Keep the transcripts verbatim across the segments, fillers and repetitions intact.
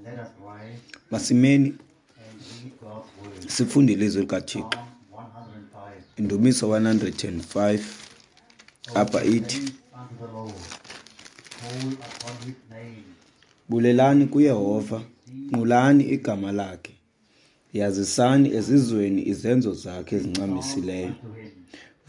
Let us rise Masimeni and read God's word. sifunde ilizwi likaThixo. Psalm one hundred and five. Indumiso one hundred and five Oh, apha give ithi, thanks unto the Lord. Call upon his name. Bulelani kuYehova, nqulani igama lakhe. Yazisani ezizweni izenzo zakhe Sing psalms ezincamisileyo. unto him.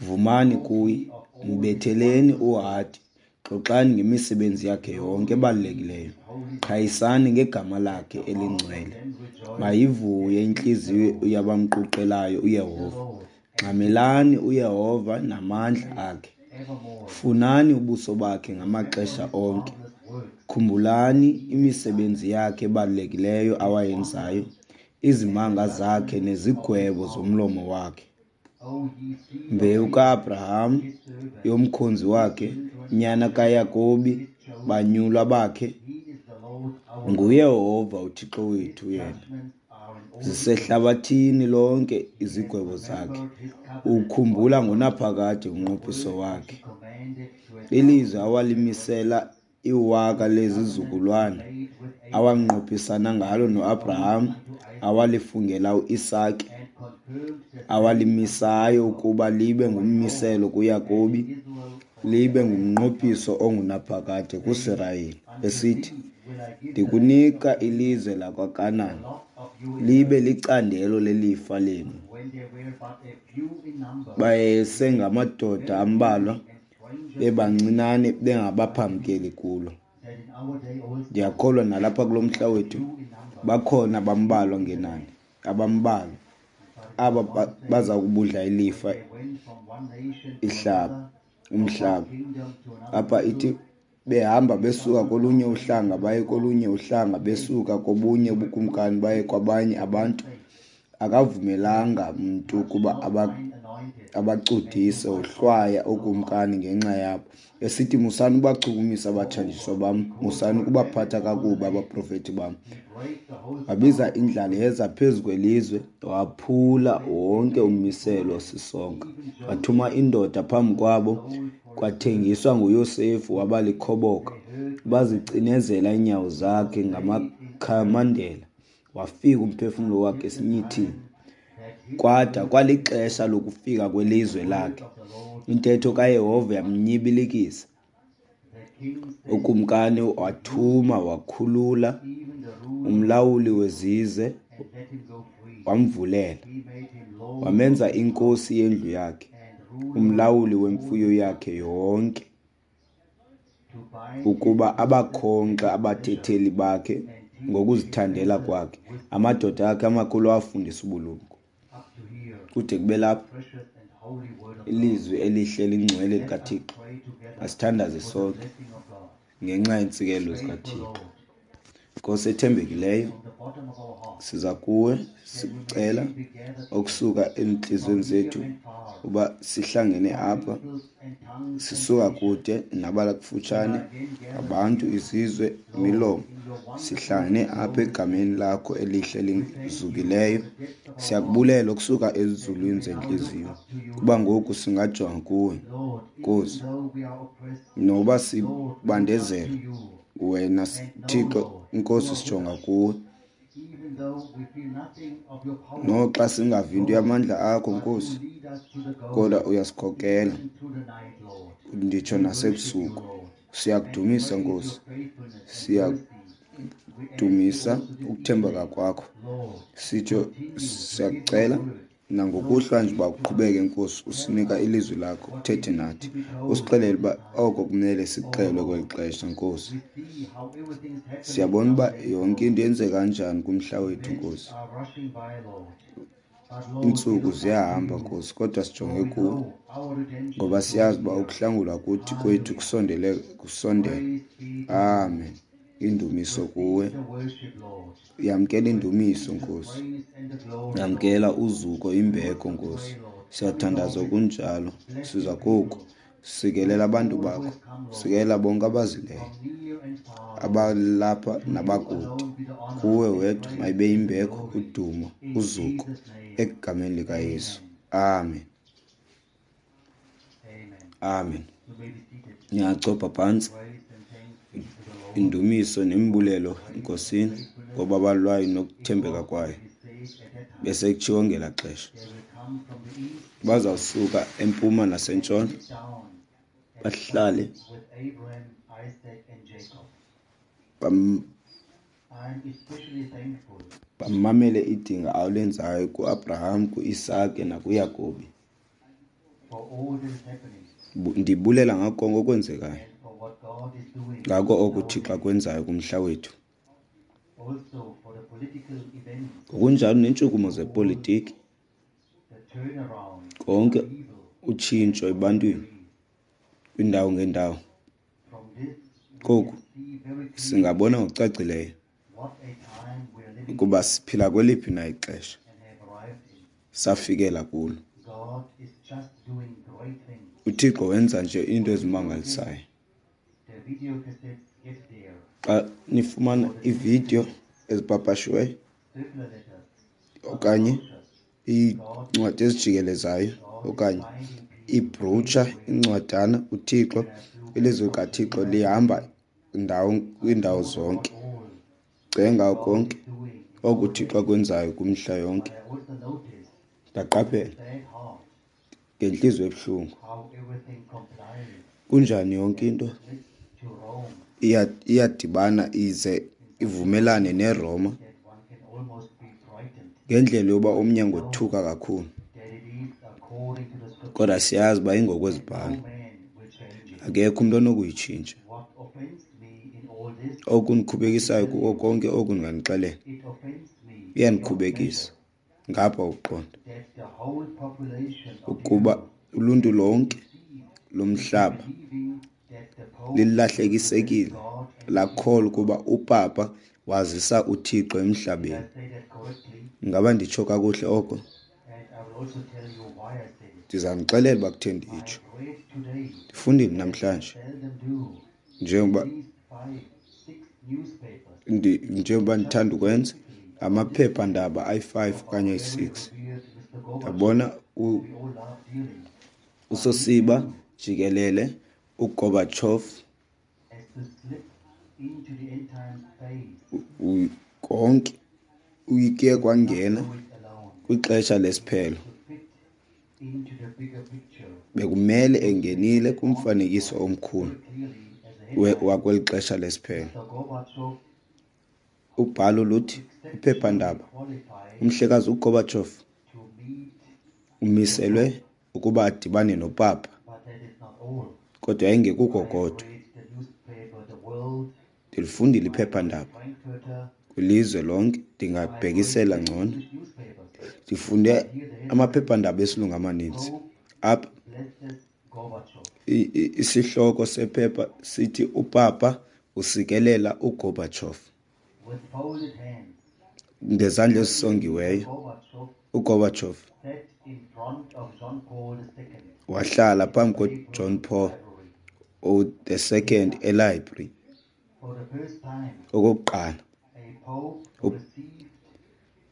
Vumani All kuye, ye of all his mbetheleni wondrous works. uhadi, xoxani ngemisebenzi yakhe Know yonke ye ebalulekileyo. his holy name. Qhayisani ngegama Let lakhe the heart of elingcwele. them rejoice Mayivuye that seek the intliziyo Lord. yabamquqelayo Seek the uYehova. Lord and his Ngxamelani uYehova namandla strength akhe. evermore. Funani ubuso bakhe Remember ngamaxesha his onke. marvelous works Khumbulani that he hath done, imisebenzi yakhe ebalulekileyo his awayenzayo, wonders, and the izimanga zakhe judgments of his nezigwebo mouth. zomlomo wakhe. O ye seed of Mbewu Abraham, kaAbraham, his servant, yomkhonzi ye wakhe, children of nyana Jacob, kaYakobi, his chosen. banyulwa bakhe, He is the Lord our God. nguYehova uThixo His wethu yena. judgments are in all the earth. Zisehlabathini lonke He hath izigwebo zakhe. remembered his covenant Ukhumbula forever, ngonaphakade the umnqophiso word which wakhe, he commanded to a ilizwi thousand awalimisela generations, iwaka his covenant he lezizukulwana, made with Abraham, awanqophisana ngalo and his oath noAbraham, unto Isaac, awalifungela uIsake, and confirmed the saying unto awalimisayo Jacob ukuba libe for an oath, ngummiselo and kuYakobi, to Israel for an libe everlasting ngumnqophiso covenant, ongunaphakade saying, kuSirayeli, Unto esithi, thee will I give the land of Ndikunika Canaan, ilizwe the lakwaKanan, lot of your libe inheritance. licandelo lelifa lenu. When they were but a few in number, Bayesengamadoda very ambalwa, few and strangers in it, bebancinane, I bengabaphambukeli believe kulo. that in our day also Ndiyakholwa nalapha kulo there mhla are wethu few in number bakhona who bambalwa will see the ngenani, land. abambalwa But it aba was ba- one said, baza kubudla when ilifa they went from one nation to ihlaba another, from one umhlaba. kingdom to another Apha ithi people, behamba they besuka suffered kolunye not uhlanga any baye to kolunye pass uhlanga, the besuka kobunye were ubukumkani baye crucified kwabanye for their abantu, sake, akavumelanga saying, mntu Touch ukuba not aba mine anointed, and do abacudise, my wohlwaya prophets no harm. ookumkani ngenxa yabo, esithi, Musani ubachukumisa abathanjiswa Moreover, bam, he caused musani for ukubaphatha famine upon the kakubi land. abaprofethi bam. He brake the whole Wabiza staff of indlala bread yeza phezu kwelizwe, waphula that he wonke made ummiselo before them, sisonka. even Wathuma Joseph, indoda phambi whom he kwabo, sold for his brethren. kwathengiswa nguYosefu, waba likhoboka. They heard with Bazicinezela trembling iinyawo and was zakhe laid in irons, ngamakhamandela, wafika umphefumlo wakhe until the esinyithini. time that his Kwada word kwalixesha came, lokufika kwelizwe the word lakhe. of the Lord Intetho came kaYehova unto him. yamnyibilikisa. The king sent Ukumkani and wathuma loosed him, wakhulula even the ruler of umlawuli the people, wezizwe, and let him go free. wamvulela. He made him lord of Wamenza his house inkosi yendlu yakhe, and ruler umlawuli of all wemfuyo his yakhe substance, yonke, to bind his ukuba princes abakhonkxe at his pleasure abathetheli bakhe and teach his ngokuzithandela princes kwakhe. wisdom. Amadoda akhe amakhulu awafundisa ubulumko. Up to here, Kude kube the lapho precious and holy word of God. ilizwi elihle lingcwele Let us likaThixo. pray together Asithandaze for the sonke blessing of God. ngenxa yeentsikelelo Faithful zikaThixo. Lord, Nkosi ethembekileyo, from the bottom of our hearts, siza kuwe that we may sikucela again be gathered here okusuka ezintliziyweni from near zethu and far, uba sihlangene from apha, peoples and tongues and sisuka nations. kude We nabalakufutshane, are again gathered abantu, here, izizwe, Lord, imilomo, in your wonderful sihlangene and apha glorious egameni name. lakho elihle We thank you from lizukileyo. the depths of our hearts Siyakubulela okusuka that we ezulwini may now look zentliziyo up to you, kuba ngoku singajonga kuwe, Lord, even Nkosi, though we are oppressed. noba Lord, we look up sibandezelwe to you wena and know, Thixo Lord, you Nkosi, are with sijonga us. kuwe. Even though we feel nothing of your power, Noxa singavi nto Lord, yamandla akho, but you Nkosi, lead us to the goal, kodwa uyasikhokela even through the night, Lord. nditsho We worship you, nasebusuku. Lord, and Siyakudumisa praise your Nkosi, faithfulness and mercy. We ask you siyakudumisa also this ukuthembeka evening, kwakho. Lord, Sitsho continue to give your siyakucela word. nangokuhlwa Lord, nje uba speak to us. uqhubeke Nkosi, Tell usinika us ilizwi lakho, what we uthethe need nathi, to be told usixelele for uba this time. oko kumele Oh sikuxelwe kweli Lord, xesha Nkosi. we see how everything is happening Siyabona uba nowadays, yonke Lord. into yenzeka kanjani kumhla wethu Events Nkosi. are rushing by, Lord. But Lord, we Iintsuku look up to ziyahamba you, Nkosi, kodwa for sijonge we kuwe know our redemption ngoba draws siyazi uba near. ukuhlangulwa kuthi kwethu Hallelujah. kusondele kusondele. Praise be to you. Amen. Indumiso kuwe. Receive the worship, Lord. Yamkela indumiso Receive the Nkosi. praise and the glory, Lord. Yamkela uzuko We also imbeko Nkosi. pray, Lord, coming Siyathandaza our way. kunjalo. Bless Siza your koku. people. Sikelela Bless abantu all who bakho. have come, Lord, Sikelela bonke abazileyo, from near and far, Lord. abalapha To you nabakude. alone be the honor Kuwe and wedwa praise mayibe and the imbeko, glory. udumo, In uzuko Jesus' name, egameni likaYesu. amen. Amen. Amen. Amen. You may be seated. Niyachopha phantsi. Praise and thanks be to the Lord Indumiso for his nembulelo grace and eNkosini faithfulness. Ngobabalo lwayo nokuthembeka kwayo. It is said at that time, Besekutshiwo ngelaa xesha, they will come from the east, bazawusuka empuma nasentshona, sit down and bahlale with Abraham, Isaac, and Jacob. bam- I am especially thankful bamamele idinga alenzayo kuAbraham, kuIsake nakuYakobi. for all that is happening Bu- Ndibulela ngako konke okwenzekayo, and for what God is doing. ngako in oko our uThixo days. akwenzayo kumhla wethu. Also for the political events, Ngokunjalo neentshukumo zepolitiki, the turnaround konke of evil utshintsho ebantwini kwiindawo ngeendawo. From this, we Koku can see very clearly singabona ngokucacileyo what a time we are living ukuba siphila kweliphi na ixesha and have arrived in. safikela kulo. God is just doing great things. UThixo wenza nje iinto ezimangalisayo. The video cassettes get there, Xa nifumana iividiyo ezipapashiweyo circular letters, okanye brochures, iincwadi ezijikelezayo okanye iibhrowutsha, incwadana, uThixo, ilizwi likaThixo lihamba ndawo kwiindawo zonke. all Cenga konke doing. oku uThixo akwenzayo kwimihla yonke. But I also noticed Ndaqaphela sad heart ngentliziyo ebuhlungu how everything complies kunjani yonke into with to Rome iya- iyadibana ize ivumelane neRoma that one can almost be frightened ngendlela yoba omnye angothuka kakhulu. that it is according to the scripture. Kodwa siyazi uba No ingokwezibhalo, man will change it. akekho umntu onokuyitshintsha. What offends me in all this, Okundiqhubekisayo kuko konke oku ndinganixelela, it offends me beyond iyandikhubekisa measure ngapha ukuqonda that the whole population of the ukuba earth uluntu lonke deceived lomhlaba believing that the Pope lilahlekisekile God and lakholwa ukuba upapa wazisa uThixo did I emhlabeni. say that correctly? Ingaba nditsho kakuhle oko? And I will also tell you why I said it. Ndizanixelela uba kutheni I nditsho. read today, Ndifundile namhlanje seldom do, njengoba at least five, six newspapers ndi- njengoba ndithanda ukwenza amaphephandaba ayi-five okanye ayi-six. revered Mister Gorbachev, Ndabona u- we all love dearly, usosiba jikelele uGorbachev as to slip into the end times phase, u- konke uyike kwangena do it alone, kwixesha lesiphelo. to fit into the bigger picture Bekumele engenile kumfanekiso omkhulu very clearly as a we- headline. wakweli xesha lesiphelo. Mister Gorbachev Ubhalo luthi iphephandaba qualified umhlekazi uGorbachev to meet, umiselwe ukuba adibane nopapa, but that is not all. kodwa yayingekuko kodwa. Read the newspaper, The World, Ndilifundile iphephandaba Frankfurter, kwilizwe lonke, ndingabhekisela ngcono. English newspapers. Ndifunde amaphephandaba esilungu amaninzi. Apha Blesses Gorbachev. i- i- isihloko sephepha sithi upapa usikelela uGorbachev With folded hands, ngezandla ezisongiweyo. Gorbachev uGorbachev sat in front of John Paul the Second wahlala phambi koJohn Paul library. the Second elibrary For the first time, okokuqala. a pope received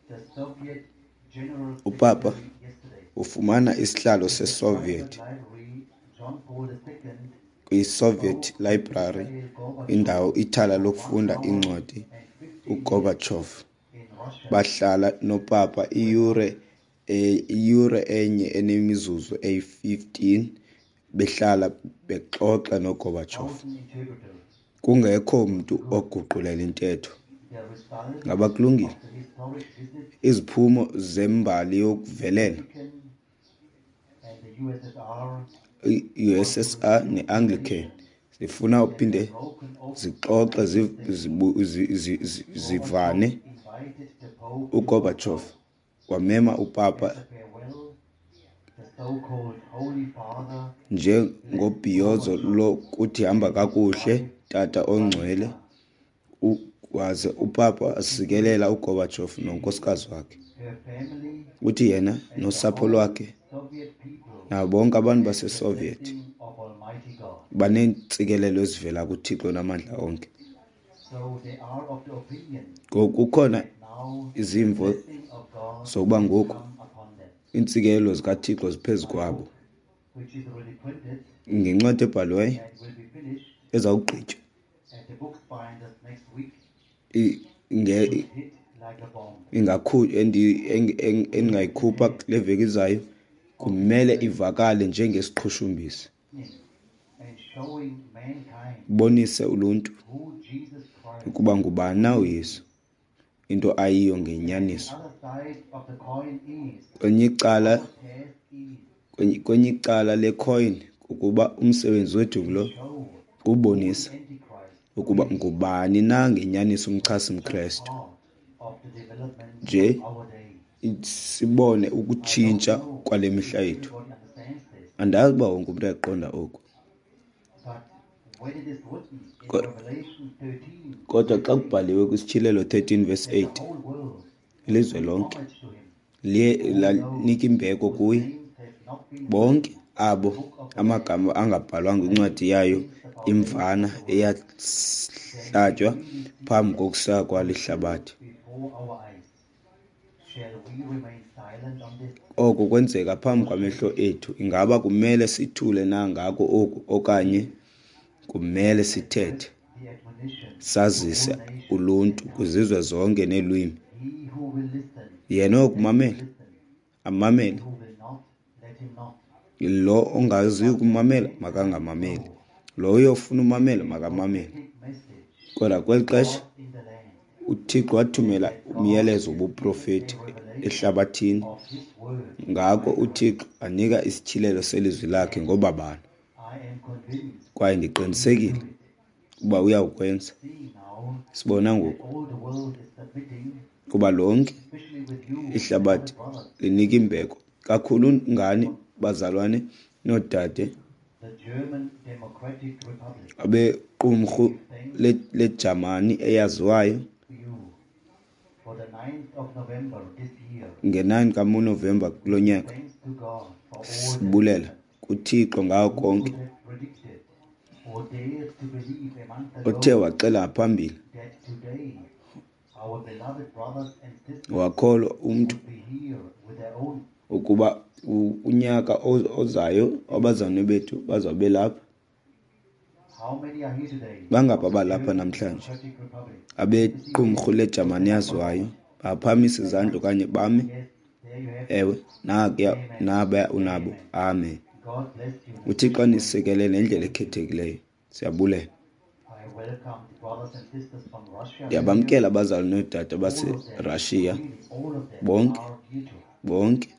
the Soviet General Upapa Secretary yesterday. ufumana isihlalo seSoviet Private library, John Paul the Second kwiSoviet Library, Mikhail Gorbachev indawo ithala lokufunda iincwadi. and fifteen uGorbachev in Russia bahlala nopapa iyure e- iyure enye enemizuzu eyi-fifteen behlala bexoxa noGorbachev, thousand interpreters. kungekho mntu oguqulela intetho. The result Ngaba kulungile? of the historic visit Iziphumo zembali yokuvelela Vatican and the U S S R i-U S S R ne-Anglican zifuna uphinde broken open zixoxe zi- zibu- zi- zi- zi- zivane. invited the Pope uGorbachev wamema upapa to farewell the so-called Holy Father njengobhiyozo lokuthi hamba kakuhle tata ongcwele, U- waze upapa asikelela uGorbachev nonkosikazi wakhe. her family Uthi yena nosapho lwakhe Soviet people nabo bonke abantu baseSoviet blessing of Almighty God. baneentsikelelo ezivela kuThixo namandla onke. So they are of the opinion Ngoku kukhona now izimvo blessing of God zokuba ngoku come upon them, iintsikelelo zikaThixo ziphezu kwabo. which is already printed Ngencwadi ebhaliweyo and will be finished ezawugqitywa at the Bookbinders next week i- Endingayikhupha kule veki izayo kumele ivakale njengesiqhushumbisi, ibonise uluntu ukuba ngubani na uYesu, into ayiyo ngenyaniso. Kwenye icala, kwenye icala lecoin kukuba umsebenzi wethu ngulo, kubonisa ukuba ngubani na ngenyaniso umchasi-mKrestu, nje sibone ukutshintsha kwale mihla yethu. Andazi uba wonke umntu uyakuqonda oku. Kodwa xa kubhaliwe kwiSityhilelo thirteen verse eight, ilizwe lonke liye lanika imbeko kuye, bonke abo amagama angabhalwanga kwincwadi yayo imvana eyahlatywa phambi kokusekwa lihlabathi. Oko kwenzeka phambi kwamehlo ethu. Ingaba kumele sithule na ngako oku, okanye kumele sithethe, sazise uluntu kwizizwe zonke neelwimi? Yena oyokumamela, amamele. Lo ongaziyo ukumamela, makangamameli. Lo uyofuna umamela, makamamele. Kodwa kweli xesha uThixo wathumela umyalezo wobuprofeti ehlabathini. Ngako uThixo anika isityhilelo selizwi lakhe ngobabalo. Kwaye ndiqinisekile ukuba uyawukwenza. Sibona ngoku kuba lonke ihlabathi linika imbeko kakhulu ngani bazalwane noodade abequmrhu leJamani eyaziwayo nge-nine kaNovemba kulo nyaka. Sibulela kuThixo ngako konke othe waxela ngaphambili wakholwa umntu ukuba unyaka ozayo abazalwane bethu bazawube lapha. Bangaphi abalapha namhlanje abequmrhu leJamani yaziwayo? Baphakamisa izandla okanye bame. Ewe, nakuya naba unabo. Amen. UThixo anisikelele ngendlela ekhethekileyo. Siyabulela. Ndiyabamkela abazali noodade baseRussia bonke, bonke.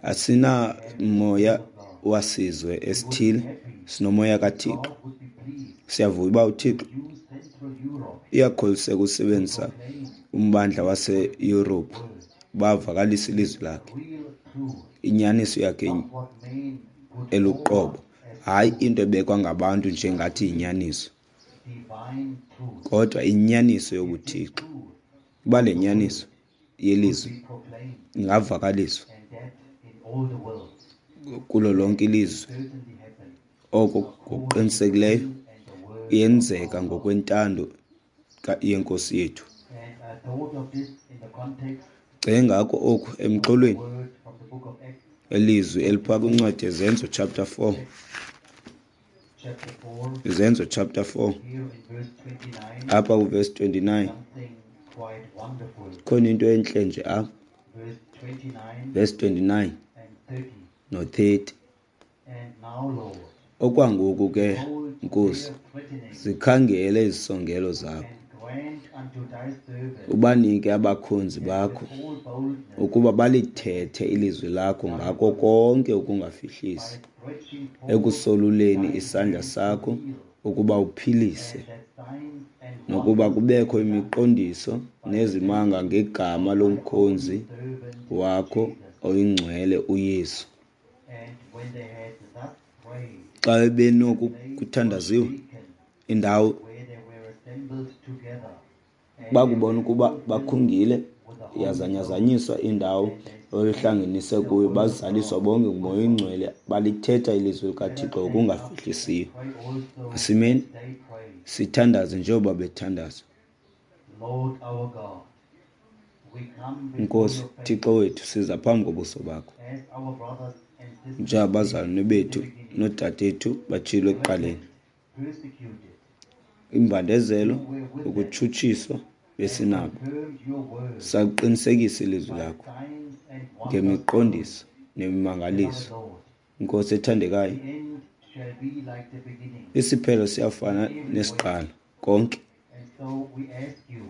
Asinamoya wasizwe esithile, sinomoya kaThixo. Siyavuya uba uThixo uyakholiseka usebenzisa umbandla waseYurophu bavakalisa ilizwi lakhe, inyaniso yakhe eluqobo, hayi into ebekwa ngabantu njengathi yinyaniso, kodwa inyaniso yobuThixo. Uba le nyaniso yelizwi ingavakaliswa kulo lonke ilizwe, oko ngokuqinisekileyo yenzeka ngokwentando yeNkosi yethu. Cinga ngako oku emxholweni elizwi elipha kwincwadi yeZenzo chapter four. Izenzo chapter four apha kuverse twenty-nine. Khona into entle nje apha. Verse twenty-nine no thirty. Okwangoku ke Nkosi, zikhangele izisongelo zakho, ubanike abakhonzi bakho ukuba balithethe ilizwi lakho ngako konke ukungafihlisi, ekusoluleni isandla sakho ukuba uphilise, nokuba kubekho imiqondiso nezimanga ngegama lomkhonzi wakho oyingcwele uYesu. Xa benokuthandaziwe indawo bakubona ukuba bakhungile, yazanyazanyiswa indawo ababehlanganise kuyo, bazaliswa bonke nguMoya oyiNgcwele, balithetha ilizwi likaThixo ngokungafihlisiyo. Asimeni sithandaze njengoba bethandaza. Nkosi Thixo wethu, siza phambi kobuso bakho njengabazalwane bethu noodadethu batshilo ekuqaleni, Imbandezelo, you were with them ukutshutshiswa, and besinabo. confirmed your word Sakuqinisekisa ilizwi by lakho signs and wonders ngemiqondiso both. nemimangaliso. Beloved Lord, Nkosi ethandekayo, the end shall be like the beginning isiphelo siyafana in every way. nesiqalo konke. And so we ask you,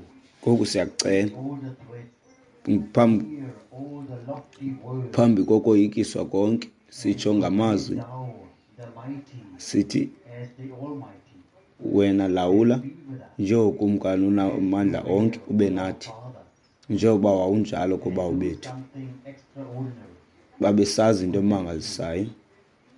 Ngoku siyakucela all the threats, phambi hear all the lofty words, phambi kokoyikiswa konke, sitsho and ngamazwi command thou the mighty sithi, as the Almighty, wena lawula and be with us njengokumkani as you unamandla were onke, ube with our nathi fathers, njengoba wawunjalo and kubawo do bethu. something extraordinary. Babesazi into We thank you emangalisayo. that you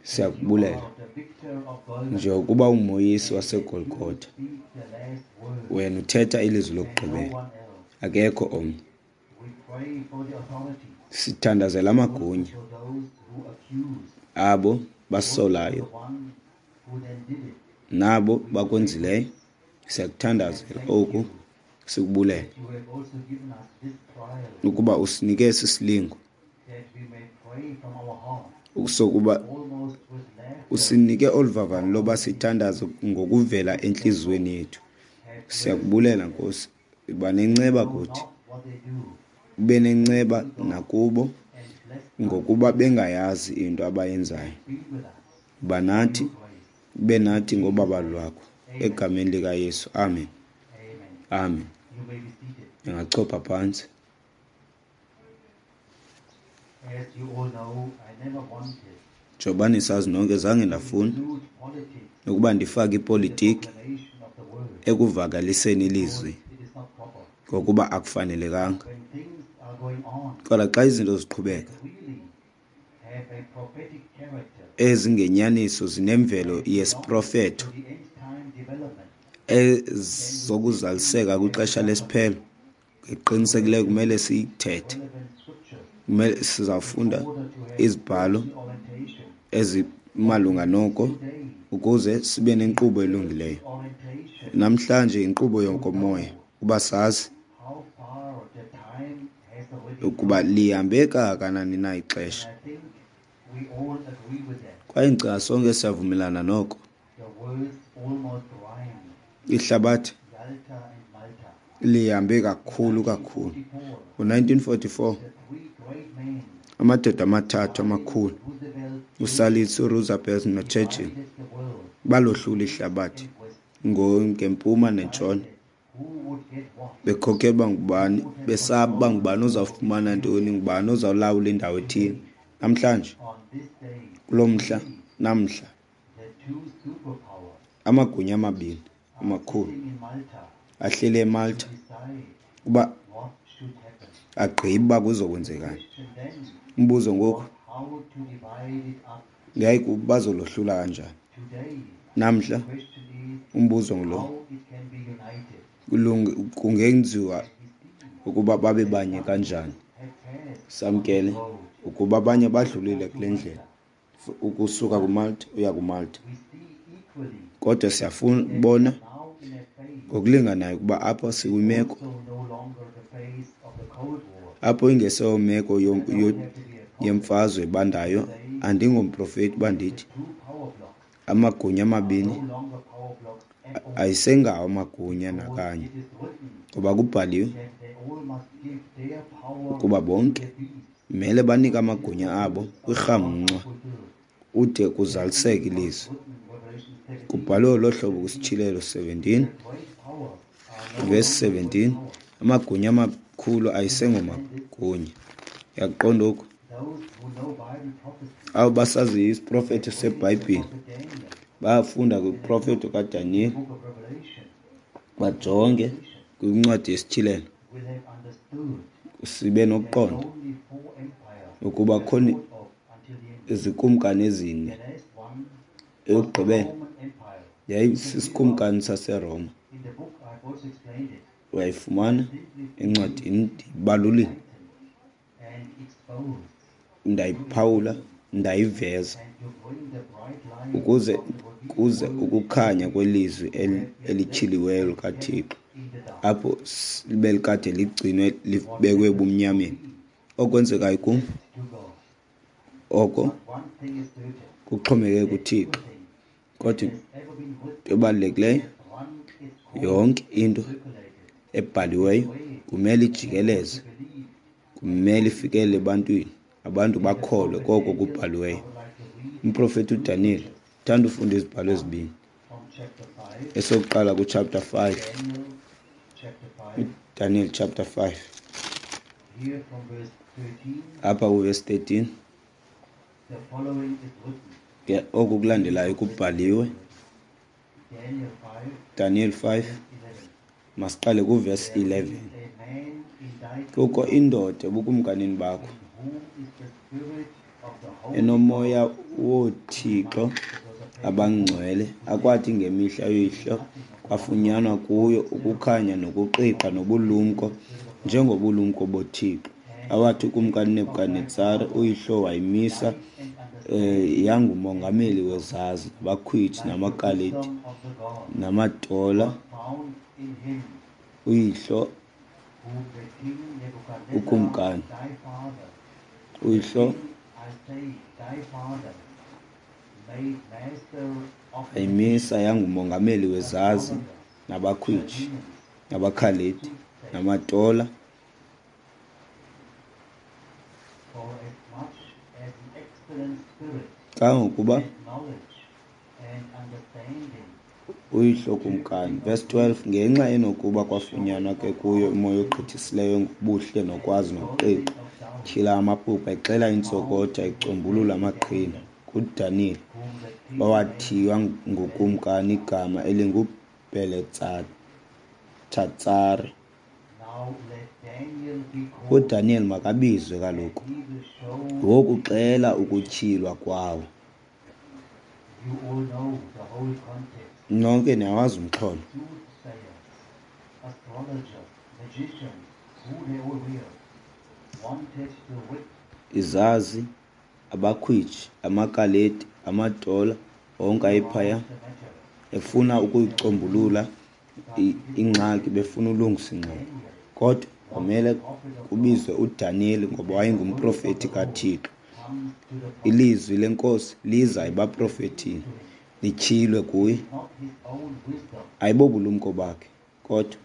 Siyakubulela are the victor of Golgotha njengokuba ungumoyisi and that you waseGolgotha. speak the last word Wena uthetha ilizwi and no lokugqibela, one else. akekho omnye. We pray for the authorities, Sithandazela also amagunya, for those who accuse, abo also for basolayo the one who then did it. nabo We pray for bakwenzileyo. this and Siyakuthandazela thank oku, you sikubulela that you have also given us this trial, ukuba usinike esi silingo that we may pray from our heart, sokuba almost with laughter usinike olu vavanyo for loba our enemies. sithandaze ngokuvela Bless them, entliziyweni Lord. yethu. Have mercy Siyakubulela on them. Nkosi, yiba They nenceba know kuthi, not what they do. ube nenceba Thank you, God, nakubo, and bless us ngokuba bengayazi into abayenzayo. and be with us Yiba by nathi, your grace. ube In nathi Jesus' ngobabalo name. lwakho. Amen. Egameni likaYesu, amen. Amen. Amen. You may be seated. Ndingachopha phantsi. As you all know, I never wanted Njengoba nisazi nonke, zange to ndafuna include politics ukuba ndifake in the ipolitiki proclamation of the word ekuvakaliseni because ilizwi, it is not proper. ngokuba akufanelekanga. When things are going on Kodwa xa izinto that ziqhubeka really have a prophetic character ezingenyaniso zinemvelo and belong yesiprofeto to the end time development, then we simply ezokuzaliseka have to kwixesha talk of lesiphelo, it. ngeqinisekileyo We kumele read siyithethe. relevant scriptures Kumele in sizawufunda order to have izibhalo spiritual orientation. ezimalunga What we noko need today ukuze sibe is nenkqubo elungileyo. spiritual orientation Namhlanje yinkqubo to yokomoya know uba sazi how far the time has already ukuba come. lihambe kangakanani na And ixesha. I think we all agree with that. Kwaye ndicinga sonke siyavumelana noko. The words almost rhyme, Ihlabathi Yalta and Malta. lihambe In kakhulu kakhulu. nineteen forty-four, Ngo-nineteen forty-four the three great men, amadoda amathathu Stalin, amakhulu, Roosevelt, uStalin, Churchill, uRoosevelt noChurchill, divided the world balohlula east ihlabathi and west, ngempuma nentshona, decided who would get what, bekhokelwa who ngubani, would have besaba uba control ngubani over ozawufumana each ntoni, area. ngubani ozawulawula indawo ethile. Today, Namhlanje, on this day, kulo mhla, today, namhla, the two superpowers amagunya amabini are amakhulu sitting in Malta ahleli to eMalta decide uba what should happen. agqibe uba The kuzokwenzekani. question then Umbuzo ngoku was how to divide it up. yayikuba bazolohlula kanjani. Today, Namhla the question is umbuzo ngulo, how it can be united. kulunge- kungenziwa And we see ukuba babe that banye some kanjani. have passed on this Samkele road ukuba abanye from badlulile Malta to kule ndlela, Malta. f- ukusuka But kuMalta uya kuMalta. we see equally Kodwa siyafuna that we ubona are now in a phase ngokulinganayo ukuba apho that is sikwimeko also no longer the phase of the Cold War. apho ingeseyomeko And I yo- don't yo- have to be a prophet yemfazwe to ebandayo. say Andingomprofeti uba that the ndithi two power blocks amagunya are amabini no longer power blocks at all, ayisengawo amagunya because nakanye, it is written ngoba kubhaliwe that they all must give their power ukuba to bonke the beast mele banike until amagunya the abo words of God are kwirhamncwa fulfilled. ude That kuzaliseke is what is ilizwi. written in Revelation seventeen, Kubhalwe olo hlobo seventeen. kwiSityhilelo seventeen The great powers are no verse longer great seventeen. powers. Amagunya amakhulu You understand this? ayisengomagunya. Uyaqonda oku? Those who know Bible prophecy Abo basaziyo isiprofeto have read the seBhayibhile prophet Daniel bayafunda and have kwiprofeto looked in the kaDaniyeli, book of Revelation, bajonge Revelation kwincwadi yesiTyhilelo, will have understood sibe that nokuqonda only four empires ukuba were khona thought of until the end. izikumkani ezine. The last one was the Eyokugqibela Roman Empire. You can read about yayisisikumkani it saseRoma. in the book. I've also explained it. Uyayifumana Simply encwadini, being ndiyibalulile, enlightened and exposed to ndayiphawula, its ndayiveza and to bring the bright light ukuze of the revealed kuze word ukukhanya into kwelizwi who eli- have been left elityhiliweyo and kept likaThixo in the dark. apho s- belikade ligcinwe What libekwe happens to ebumnyameni. me Okwenzekayo is kum left to God. oko But one thing is certain, kuxhomekeke that kuThixo. everything that Kodwa has ever been into written ebalulekileyo has run its Yonke into ebhaliweyo kumele ijikeleze, kumele ifikelele ebantwini, abantu bakholwe koko kubhaliweyo. Umprofeti uDaniyeli uthanda ufunda izibhalo ezibini. Esokuqala kuchapter five, uDaniel chapter five, apha kuverse thirteen, ke oku kulandelayo kubhaliwe. Daniel five, masiqale kuverse eleven. Kukho indoda ebukumkanini bakho enomoya woothixo abangcwele, akwathi ngemihla yoyihlo kwafunyanwa kuyo ukukhanya nokuqiqa nobulumko njengobulumko boThixo, awathi ukumkani Nebukadnetsare uyihlo wayimisa eh, yangumongameli wezazi, nabakhwitshi, namaKaledi, namatola uyihlo ukumkani uyihlo ayimisa yangumongameli wezazi, nabakhwitshi, nabakhaledi, namatola. Kangangokuba uyihlo kumkani. Verse twelve, ngenxa enokuba kwafunyanwa ke kuyo umoya ogqithisileyo ngobuhle nokwazi nokuqiqa, tyhila amaphupha, exela intsokotha, ecombulula amaqhina. KuDaniyeli owathiywa ngukumkani igama elinguBheletsatsare. UDaniyeli makabizwe kaloku, wokuxela ukutyhilwa kwawo. Nonke niyawazi umxholo. Izazi, abakhwitshi, amaKaledi, amatola, onke ayephaya efuna ukuyicombulula ingxaki, befuna ulungisa ingxaki. Kodwa kwamele kubizwe uDaniyeli ngoba wayengumprofeti kaThixo. Ilizwi lenkosi liza ebaprofetini, lityhilwe kuye. Ayibobulumko bakhe, kodwa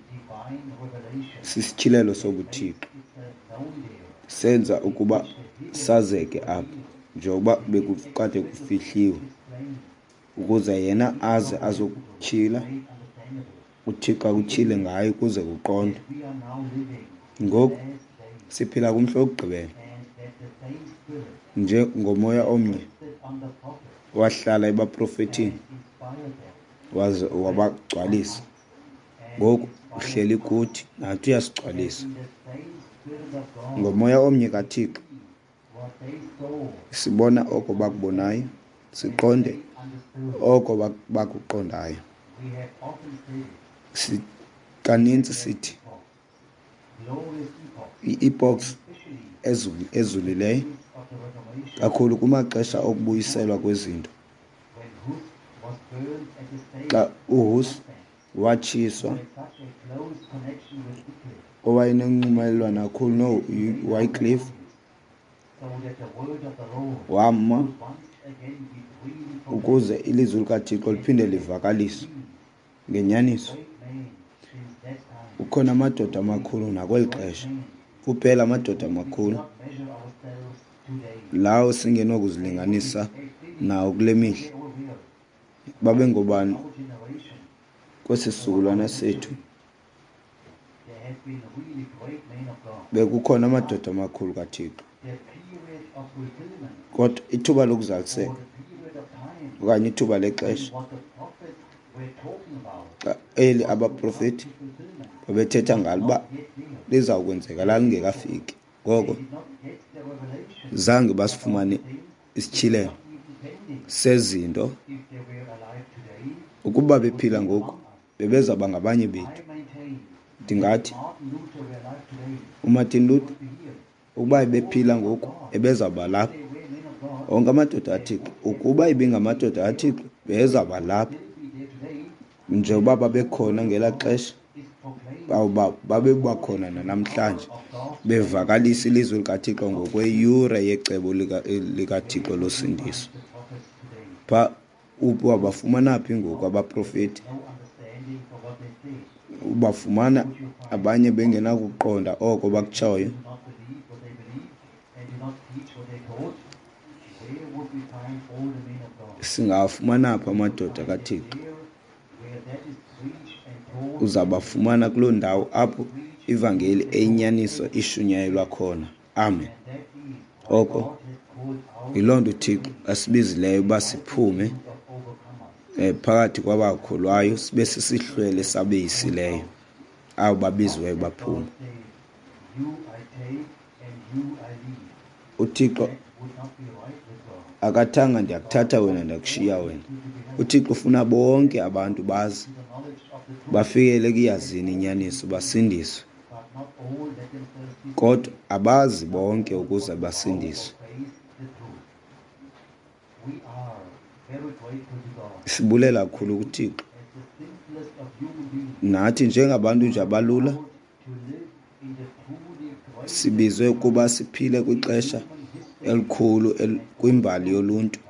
sisityhilelo sobuThixo senza ukuba sazeke apha, njengoba bekukade kufihliwe, ukuze yena aze azokutyhila, uThixo akutyhile ngayo ukuze kuqondwe. Ngoku siphila kumhla wokugqibela, nje ngomoya omnye wahlala ebaprofetini waze wabagcwalisa. Ngoku uhleli kuthi, nathi uyasigcwalisa ngomoya omnye kaThixo. Sibona oko bakubonayo, siqonde oko bakuqondayo. Kaninzi sithi i-epochs ezulileyo kakhulu kumaxesha okubuyiselwa kwezinto, xa uHus watshiswa, owayenonxumelwano kakhulu noWycliffe, wama ukuze ilizwi likaThixo liphinde livakaliswe ngenyaniso. Kukhona amadoda amakhulu nakweli xesha, kuphela amadoda amakhulu lawo singenokuzilinganisa nawo kule mihla. Babengobani kwesi sizukulwana sethu? Bekukhona amadoda amakhulu kaThixo, kodwa ithuba lokuzaliseka okanye ithuba lexesha xa eli abaprofeti babethetha ngalo uba lizawukwenzeka lalingekafiki. Ngoko zange basifumane isityhilelo sezinto. Ukuba bephila ngoku bebezawuba ngabanye bethu. Ndingathi uMartin Luther ukuba ebephila ngoku ebezawuba lapha. Onke amadoda aThixo, ukuba ibingamadoda aThixo bebezawuba lapha njengoba babekhona ngelaa xesha, babebakhona nanamhlanje, bevakalisa ilizwi likaThixo ngokweyure yecebo likaThixo losindiso. Pha wabafumana phi ngoku abaprofeti? Ubafumana abanye bengenakuqonda oko bakutshoyo. Singawafumana phi amadoda kaThixo? Uzabafumana kuloo ndawo apho ivangeli eyinyaniso ishunyayelwa khona. Amen. Oko yiloo nto uThixo asibizileyo uba siphume phakathi kwabakholwayo, sibe sisihlwele sabeyisileyo, abo babiziweyo baphuma. UThixo akathanga ndiyakuthatha wena ndiyakushiya wena. UThixo ufuna bonke abantu bazi, bafikele ekuyazini inyaniso, basindiswe. Kodwa abazi bonke ukuze basindiswe. Sibulela kakhulu kuThixo. Nathi njengabantu nje abalula sibizwe ukuba siphile kwixesha elikhulu kwimbali yoluntu,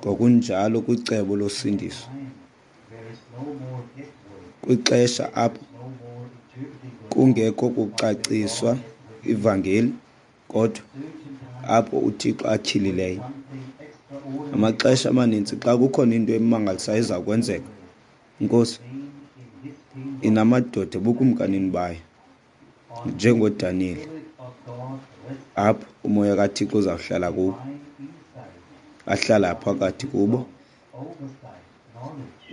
ngokunjalo kwicebo losindiso, kwixesha apho kungekho kucaciswa ivangeli, kodwa apho uThixo atyhilileyo. Amaxesha amaninzi xa kukhona into emangalisayo eza kwenzeka, iNkosi inamadoda ebukumkanini bayo, njengoDaniyeli, apho umoya kaThixo uzawuhlala kubo, ahlala phakathi kubo,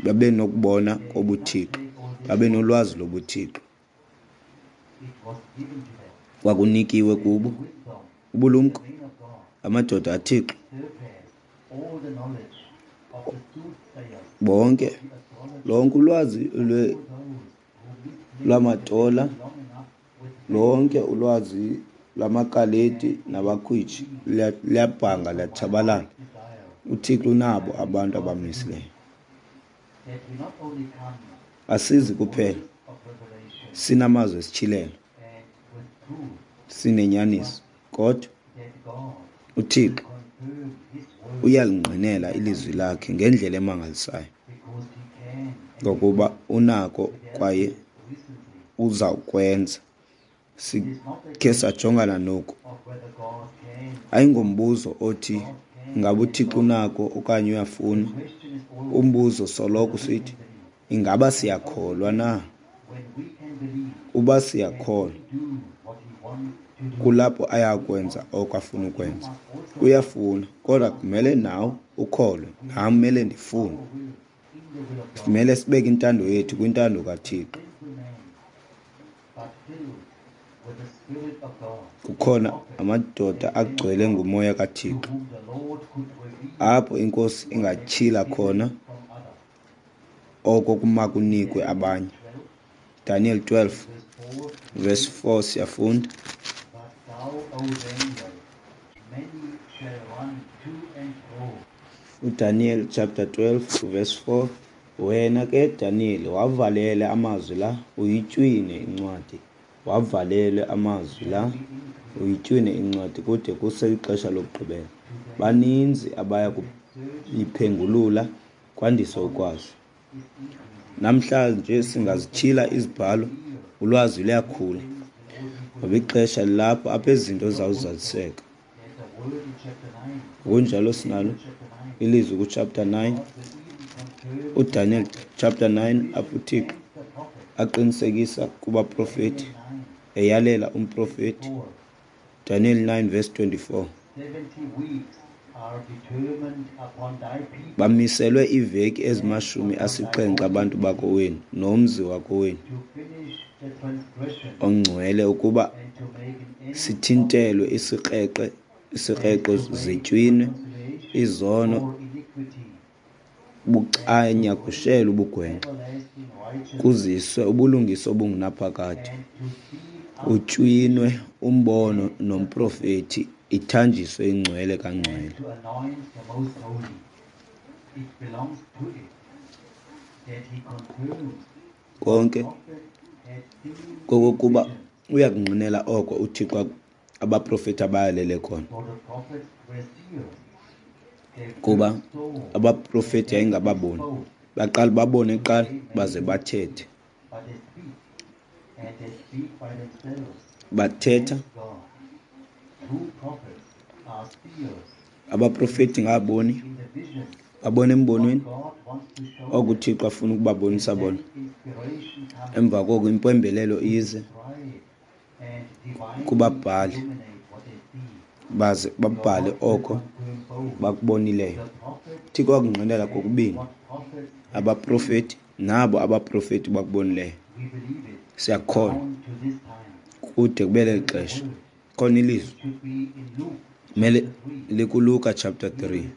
babe nokubona kobuThixo, babe nolwazi lobuThixo. Kwakunikiwe kubo ubulumko, amadoda aThixo bonke, lonke ulwazi lwamatola, lonke ulwazi lwamakaledi nabakhwitshi liyabhanga, liyatshabalala. UThixo unabo abantu abamisileyo. Asizi kuphela sinamazwi esityhilelo, sinenyaniso, kodwa uThixo uyalingqinela ilizwi lakhe ngendlela emangalisayo, ngokuba unako kwaye uzawukwenza. Sikhe sajongana noku. Ayingombuzo othi ingaba uThixo unako okanye uyafuna. Umbuzo soloko usithi ingaba siyakholwa na? Uba siyakholwa, kulapho ayakwenza oko afuna ukwenza. Uyafuna, kodwa kumele nawe ukholwe, nam kumele ndifune. Simele sibeke intando yethu kwintando kaThixo. Kukhona amadoda agcwele ngumoya kaThixo, apho iNkosi ingatyhila khona oko kumakunikwe abanye. Daniel twelve verse four siyafunda. UDaniel chapter twelve verse four, wena ke Daniel wavalele amazwi la, uyitywine incwadi. Wavalele amazwi la, uyitywine incwadi kude kuse ixesha lokugqibela. Baninzi abaya kuyiphengulula kwandiswe ukwazi. Namhlanje singazityhila izibhalo, ulwazi luyakhula, ngoba ixesha lilapho apho izinto zawuzaliseka. Ngokunjalo sinalo ilizwi ku-chapter nine, uDaniel chapter nine, apho uThixo aqinisekisa kubaprofeti, eyalela umprofeti. Daniel nine verse twenty-four. Bamiselwe iiveki ezimashumi asixhenxe abantu bakowenu nomzi wakowenu ongcwele, ukuba sithintelwe isikreqe, isikreqo zitywinwe, izono bucanyagushelwe ubugwenxa, kuziswe ubulungisa obungunaphakade, utywinwe umbono nomprofeti, ithanjiswe ingcwele kangcwele. Konke kokokuba uyakungqinela oko uThixo abaprofeti abayalele khona, kuba abaprofeti yayingababoni, baqala babone kuqala baze bathethe. Bathetha abaprofeti ngaboni, babona embonweni oko uThixo afuna ukubabonisa bona. Emva koko impembelelo ize kubabhali, baze babhale oko bakubonileyo. UThixo wakungqinela kokubini abaprofeti nabo abaprofeti bakubonileyo. Siyakholwa kude kube leli xesha. Khona ilizwi mele likuLuka chapter three.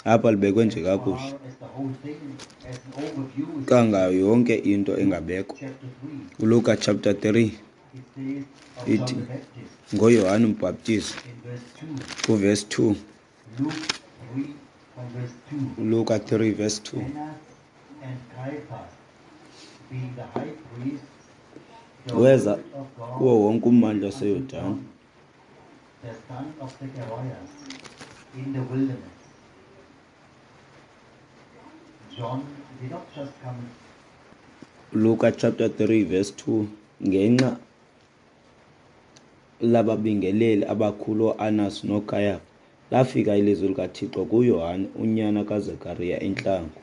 Apha libekwe nje kakuhle kangayo yonke into engabekwa. ULuka chapter three ithi ngoYohane uMbhaptizi kuverse two. ULuka three verse two. Weza kuwo wonke ummandla waseYordani, Luka chapter three verse two. Ngenxa lababingeleli abakhulu oAnas noKayafa, lafika ilizwi likaThixo kuYohane unyana kaZekariya entlango.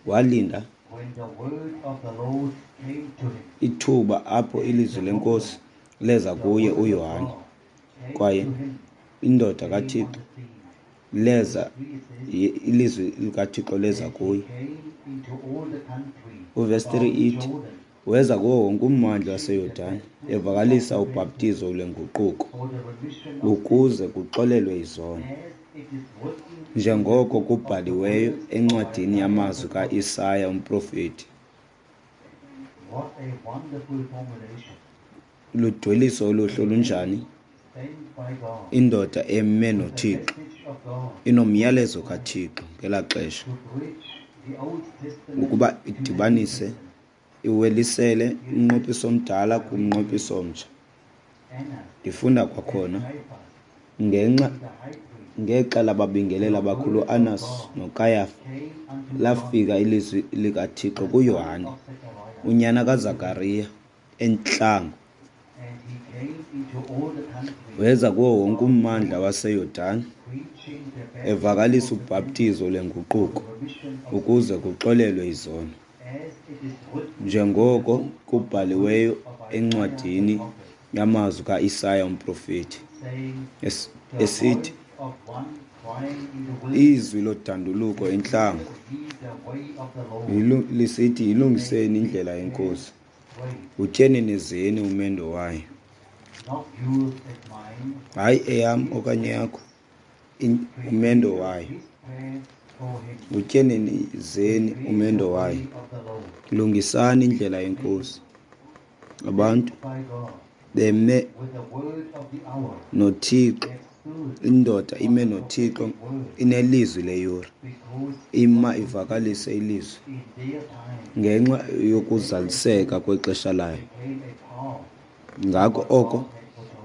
Walinda ithuba apho ilizwi leNkosi leza kuye uYohane, kwaye indoda kaThixo leza, ilizwi likaThixo leza kuye. Uverse three ithi weza kuwo wonke ummandla waseYordani evakalisa ubhaptizo lwenguquko ukuze kuxolelwe izono, njengoko kubhaliweyo encwadini yamazwi kaIsaya umprofeti. Ludweliso oluhle olunjani! Indoda eme noThixo, inomyalezo kaThixo ngelaa xesha, ukuba idibanise, iwelisele umnqophiso omdala kumnqophiso omtsha. Ndifunda kwakhona ngenxa ngexa lababingeleli abakhulu uAnas noKayafa, lafika ilizwi likaThixo kuYohane unyana kaZakariya entlango. Weza kuwo wonke ummandla waseYordani evakalisa ubhaptizo lwenguquko ukuze kuxolelwe izono, njengoko kubhaliweyo encwadini yamazwi kaIsaya umprofeti, esithi izwi lodanduluko entlango lisithi, yilungiseni indlela yeNkosi, utyenenezeni umendo wayo. Hayi eyam okanye yakho, umendo wayo. Utyenenezeni umendo wayo, lungisani indlela yeNkosi. Abantu beme noThixo, indoda ime noThixo, inelizwi leyure, ima ivakalise ilizwi ngenxa yokuzaliseka kwexesha layo. Ngako oko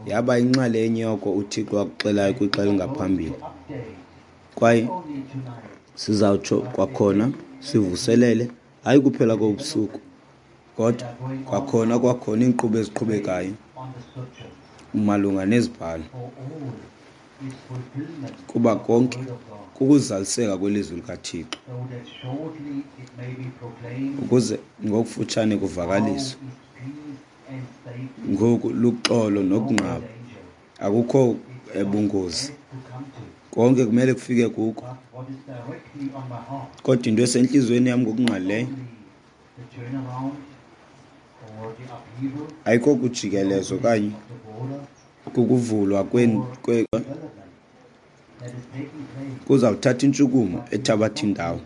yaba inxalenye yoko uThixo wakuxelayo kwixa elingaphambili. Kwaye sizawutsho kwakhona sivuselele, hayi kuphela kobusuku, kodwa kwakhona kwakhona iinkqubo eziqhubekayo malunga nezibhalo, kuba konke kukuzaliseka kwelizwi likaThixo, ukuze ngokufutshane kuvakaliswe. Ngoku luxolo nokunqaba, akukho ebungozi, konke kumele kufike kuko. Kodwa into esentliziyweni yam ngokungqalileyo ayikho kujikelezo okanye kukuvulwa kwe kuzawuthatha intshukumo ethabatha indawo,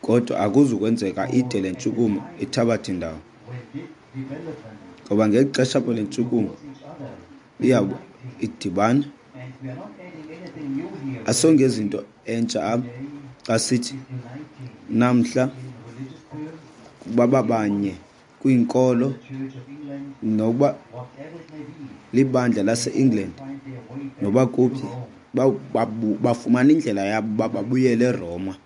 kodwa akuzukwenzeka ide le ntshukumo ithabathe indawo, ngoba ngexesha apho le ntshukumo iyawube idibana, asongezi into entsha apha xa sithi namhla bababanye kwiinkolo, nokuba libandla lase-England noba kuphi, Bafumana indlela yabo uba babuyele eRoma,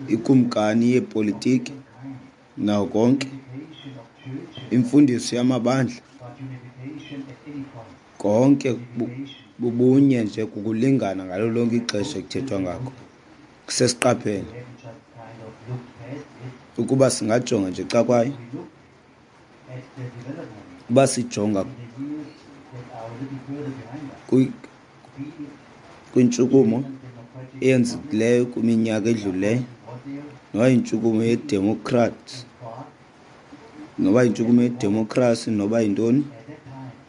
ikumkani yeepolitiki nawo konke, imfundiso yamabandla, konke bubunye nje, kukulingana ngalo lonke ixesha ekuthethwa ngako. Sesiqaphele ukuba singajonga nje xa kwayo, uba sijonga kwintshukumo eyenzekileyo kwiminyaka edlulileyo, noba yintshukumo yeDemocrats, noba yintshukumo yedemokhrasi, noba yintoni,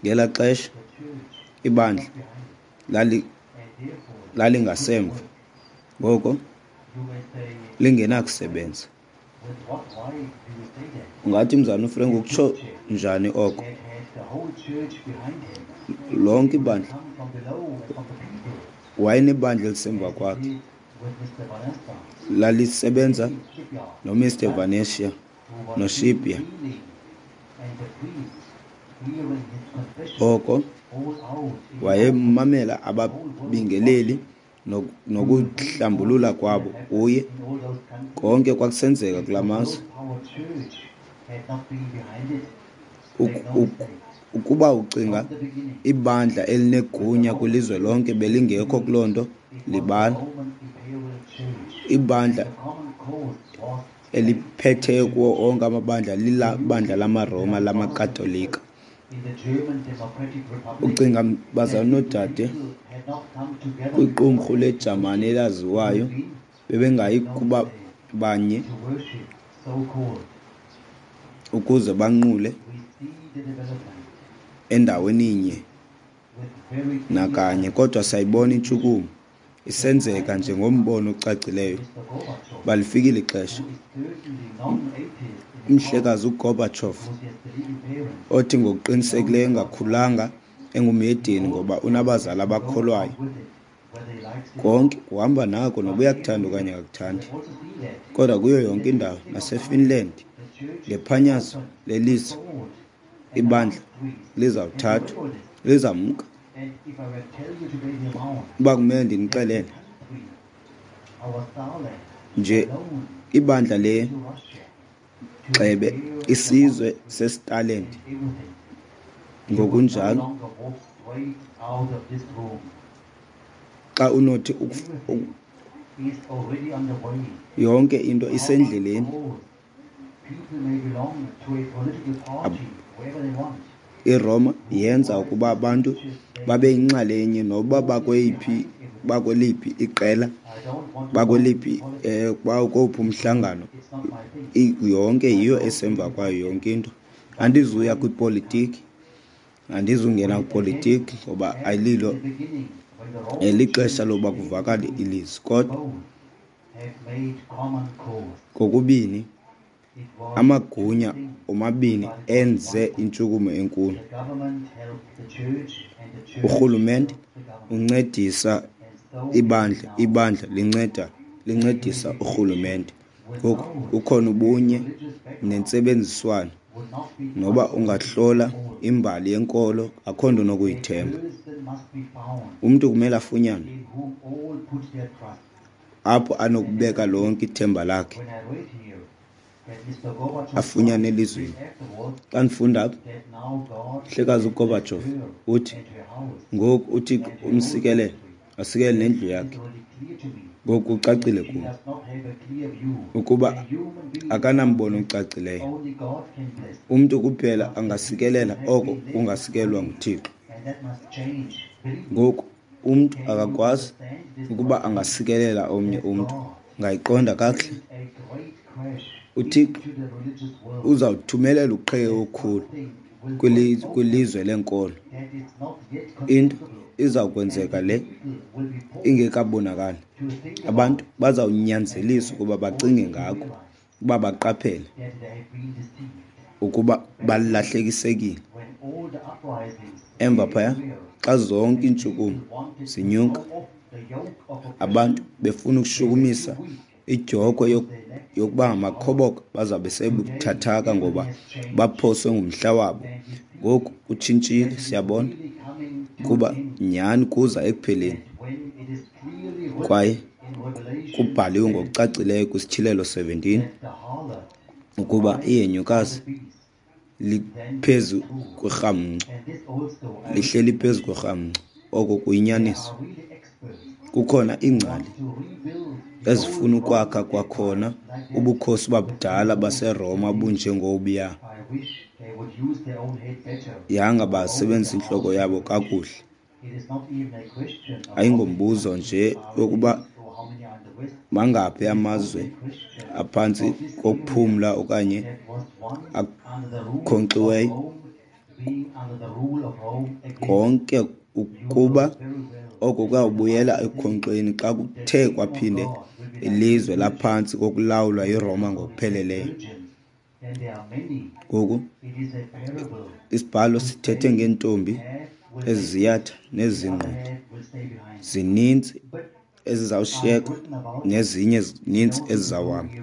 ngelaa xesha ibandla lalingasemva, ngoko lingenakusebenza. Ungathi, Mzalwana uFrank, ukutsho njani oko? Lonke ibandla, wayenebandla elisemva kwakhe, lalisebenza noMister Vanetia noShibia. Oko wayemamela ababingeleli nokuhlambulula kwabo kuye, konke kwakusenzeka kula mazwe. Ukuba ucinga ibandla elinegunya kwilizwe lonke belingekho kuloo nto, libala. Ibandla eliphetheyo kuwo onke amabandla lilabandla lamaRoma lamaKatolika. Ucinga, bazalwana noodade, kwiqumrhu leJamani elaziwayo bebengayi kuba banye ukuze banqule endaweninye nakanye, kodwa siyayibona intshukumo isenzeka njengombono ocacileyo. Balifikile ixesha. Umhlekazi uGorbachev, othi ngokuqinisekileyo engakhulanga engumhedeni ngoba unabazali abakholwayo, konke kuhamba nako noba uyakuthanda okanye akakuthandi. Kodwa kuyo yonke indawo, naseFinland, ngephanyazo leliso, ibandla lizawuthathwa, lizamka. Uba kumele ndinixelele nje, ibandla le gxebe isizwe seStalin ngokunjalo, xa unothi yonke into isendleleni, iRoma yenza ukuba abantu babe yinxalenye noba bakweyiphi, bakweliphi iqela, bakweliphi, eh, bakowuphi umhlangano, yonke yiyo esemva kwayo yonke into. Andizuya kwipolitiki, andizungena kwipolitiki ngoba ayililo elixesha loba kuvakale ilizwi, kodwa kokubini amagunya omabini enze intshukumo enkulu. Urhulumente uncedisa ibandla, ibandla linceda lincedisa urhulumente. Ngoku kukhona ubunye nentsebenziswano. Noba ungahlola imbali yenkolo, akho nto onokuyithemba. Umntu kumele afunyanwe apho anokubeka lonke ithemba lakhe, afunyane elizweni. Xa ndifunda apha, Mhlekazi uGorbachev uthi ngoku uThixo umsikelele, asikelele nendlu yakhe. Ngoku kucacile kum ukuba akanambono ucacileyo. Umntu kuphela angasikelela oko kungasikelelwa nguThixo. Ngoku umntu akakwazi ukuba angasikelela omnye umntu. Ungayiqonda kakuhle? UThixo uzawuthumelela uqheke okukhulu kwilizwe lenkolo. Into izawukwenzeka le ingekabonakali. Abantu bazawunyanzeliswa ukuba bacinge ngako, ukuba baqaphele ukuba balahlekisekile. Emva phaya, xa zonke iintshukumo zinyuka, abantu befuna ukushukumisa idyokhwe yokuba ngamakhoboka, bazawube sebuthathaka ngoba baphoswe ngumhla wabo. Ngoku kutshintshile, siyabona. Kuba nyhani kuza ekupheleni, kwaye kubhaliwe ngokucacileyo kwiSityhilelo seventeen ukuba ihenyukazi liphezu kwerhamncwa, lihleli phezu kwerhamncwa. Oko kuyinyaniso. Kukhona iingcali ezifuna ukwakha kwakhona ubukhosi bakudala baseRoma obunjengobuya. Yanga basebenzisa intloko yabo kakuhle. Ayingombuzo nje wokuba mangaphi amazwe aphantsi kokuphumla okanye akhonkxiweyo. Konke ukuba oko kuyawubuyela ekukhonkxweni xa kuthe kwaphinde ilizwe laphantsi kokulawulwa yiRoma ngokupheleleyo. Ngoku isibhalo sithethe ngeentombi eziziyatha nezingqondi. Zininzi ezizawushiyeka nezinye zininzi ezizawuhamba.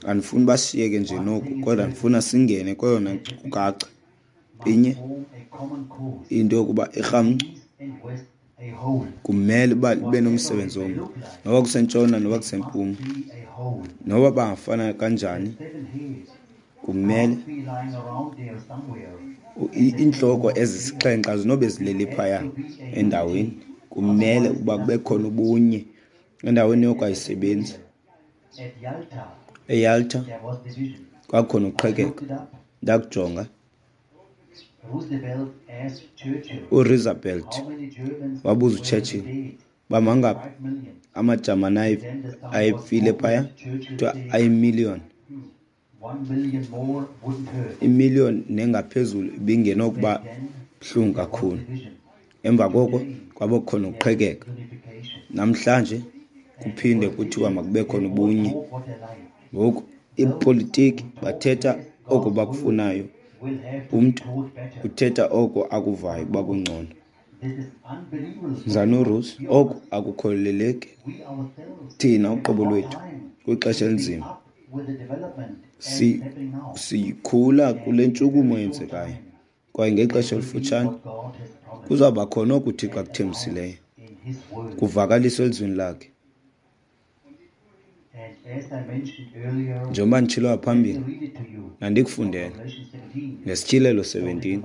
Andifuni bashiyeke nje noku, kodwa ndifuna singene kweyona nkcukacha inye, into yokuba irhamncwa kumele uba libe nomsebenzi omnye, noba kusentshona noba kusempuma, noba bangafana kanjani, kumele iintloko ezisixhenxe azinobe zilele phaya endaweni. Kumele uba kube khona ubunye endaweni yoko ayisebenzi. EYalta kwakhona uqhekeko. Ndakujonga. URoosevelt wabuza uChurchill uba mangaphi amaJamani ayefile phaya, kuthiwa ayimiliyoni. Imiliyoni nengaphezulu ibingenokuba buhlungu kakhulu. Emva koko kwaba khona uqhekeka. Namhlanje kuphinde kuthiwa makube khona ubunye. Ngoku ipolitiki bathetha oko bakufunayo, umntu uthetha oko akuvayo uba kungcono. Mzalwana uRuth, oku akukholeleki. Thina uqobo lwethu kwixesha elinzima si sikhula kule ntshukumo yenzekayo, kwaye ngexesha elifutshane kuzawuba khona oku uThixo akuthembisileyo kuvakaliswe elizwini lakhe. Njengoba nditshilo ngaphambili, nandikufundele ngeSityhilelo seventeen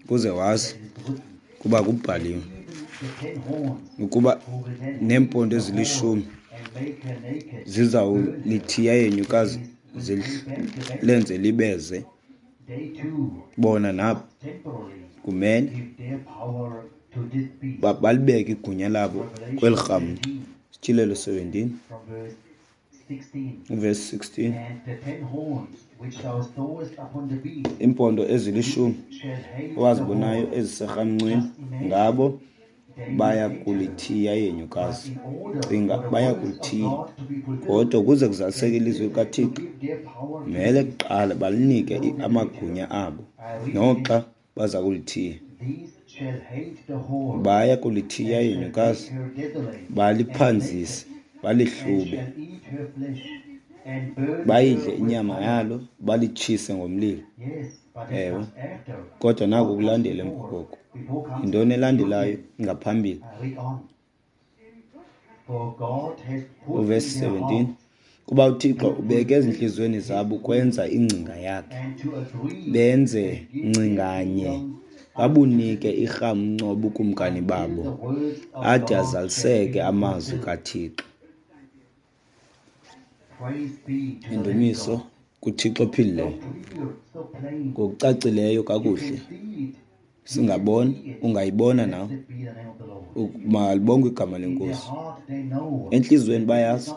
ukuze wazi kuba kubhaliwe ukuba neempondo ezilishumi zizawulithiya ihenyukazi lenze libeze. Bona nabo kumele balibeke igunya labo kweli rhamncwa. Sityhilelo seventeen verse sixteen. Iimpondo ezilishumi owazibonayo eziserhamncweni ngabo baya kulithiya ihenyukazi. Cinga, baya kulithiya. Kodwa ukuze kuzaliseke ilizwi likaThixo, mele kuqala balinike amagunya abo noxa baza kulithiya. Baya kulithiya ihenyukazi, baliphanzise, balihlube, bayidle inyama yalo, balitshise ngomlilo. Ewe, kodwa naku kulandela emva koko. Yintoni elandelayo ngaphambili? Uvesi seventeen, kuba uThixo ubeke ezintliziyweni zabo ukwenza ingcinga yakhe, benze ngcinganye, babunike irhamncwa ubukumkani babo, ade azaliseke amazwi kaThixo. Indumiso kuThixo ophilileyo. Ngokucacileyo kakuhle singabona, ungayibona nawe, malibongwe igama leNkosi. Entliziyweni bayazi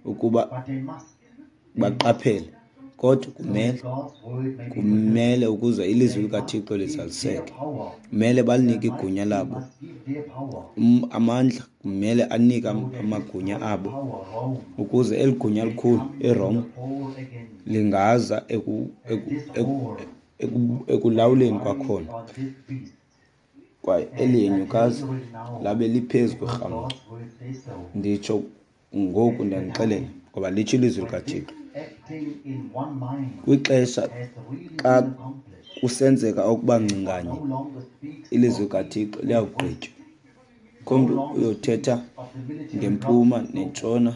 ukuba baqaphele, kodwa kumele kumele ukuze ilizwi likaThixo lizaliseke, kumele balinike igunya labo. Amandla kumele anike amagunya abo ukuze eli gunya likhulu iRoma lingaza eku, eku, eku, eku, ekulawuleni kwakhona. Kwaye eli henyukazi labe liphezu kwerhamncwa. Nditsho ngoku ndiyanixelela ngoba litsho ilizwi likaThixo. Kwixesha xa kusenzeka okuba ngcinganye, ilizwi kaThixo liyakugqitywa. Akho mntu uyothetha ngempuma nentshona.